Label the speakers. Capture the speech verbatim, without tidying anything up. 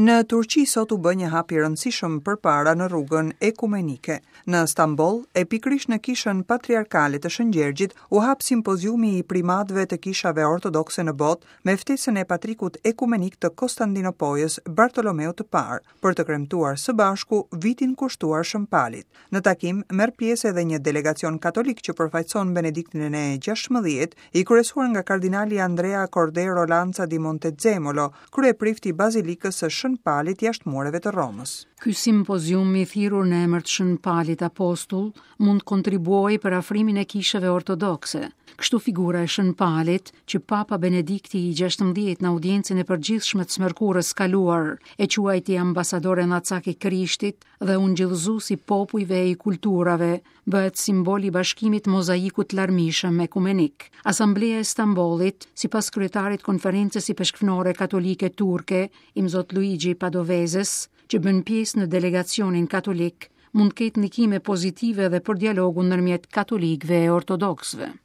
Speaker 1: Në Turqi sot u bë një hap i rëndësishëm përpara në rrugën ekumenike. Në Stamboll, e pikërisht në kishën patriarkale të Shën Gjergjit, u hap simpoziumi i primatëve të kishave ortodokse në botë me ftesën e patrikut ekumenik të Konstantinopojës, Bartolomeut të Parë, për të kremtuar së bashku vitin kushtuar Shën Palit. Në takim merr pjesë edhe një delegacion katolik që përfaqëson Benediktin e gjashtëmbëdhjetë, i kryesuar nga kardinali Andrea Cordero Lanza di Montezemolo, kryeprifti i Bazilikës së Shën Palit jashtë mureve të Romës.
Speaker 2: Ky simpozium i thirrur në emër të Shën Palit Apostull mund të kontribuojë për afrimin e kishave ortodokse. Kështu figura e Shën Palit, që Papa Benedikti i gjashtëmbëdhjetë në audiencën e përgjithshme të së mërkurës kaluar e quajti ambasador e nacak i Krishtit dhe ungjillëzues i popujve e i kulturave, bëhet simbol i bashkimit mozaikut larmishëm ekumenik. Asambleja e Stambollit, sipas kryetarit Konferencës Ipeshkvnore Katolike Turke, Imzot Luigi Padovezes, që bën pjesë në delegacionin katolik, mund të ketë ndikime pozitive edhe për dialogun ndërmjet katolikëve e ortodoksëve.